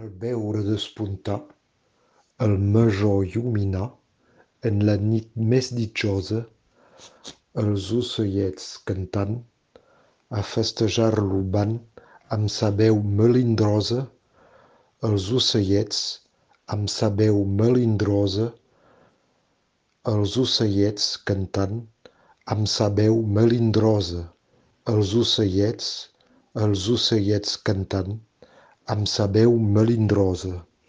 Al veure despuntar el major lluminar en la nit més ditjosa, els ocellets cantant, a festejar-lo van amb sa veu melindrosa, els ocellets amb sa veu melindrosa, els ocellets cantant amb sa veu melindrosa, els ocellets cantant amb sa veu melindrosa.